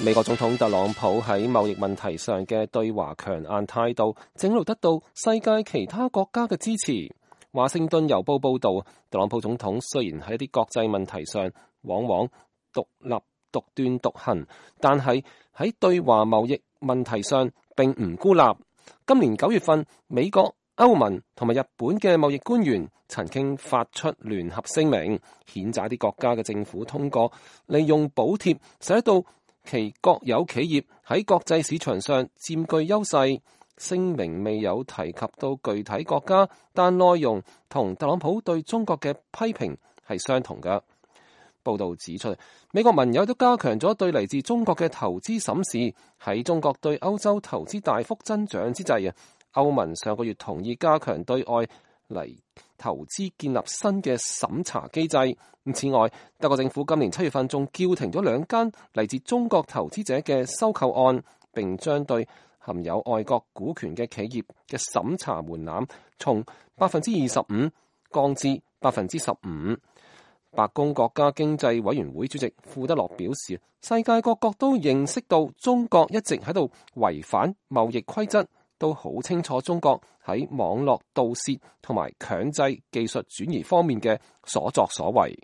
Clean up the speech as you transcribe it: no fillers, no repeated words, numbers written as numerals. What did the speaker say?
美國總統特朗普喺貿易問題上嘅對華強硬態度，正路得到世界其他國家嘅支持。華盛頓郵報報道，特朗普總統雖然喺一啲國際問題上往往獨斷獨行，但係喺對華貿易問題上並唔孤立。今年9月份，美國、歐盟同埋日本嘅貿易官員曾經發出聯合聲明，譴責啲國家嘅政府通過利用補貼使到其國有企業喺國際市場上佔據優勢。聲明未有提及到具體國家，但內容同特朗普對中國嘅批評係相同嘅。報道指出，美國盟友都加強咗對嚟自中國嘅投資審視。喺中國對歐洲投資大幅增長之際，歐盟上個月同意加強對外嚟投資建立新嘅審查機制。此外，德國政府今年7月份仲叫停咗2間嚟自中國投資者嘅收購案，並將對含有外國股權嘅企業嘅審查門檻從25%降至15%。白宮國家經濟委員會主席庫德洛表示，世界各國都認識到中國一直喺度違反貿易規則，都好清楚中國喺網絡盜竊同埋強制技術轉移方面嘅所作所為。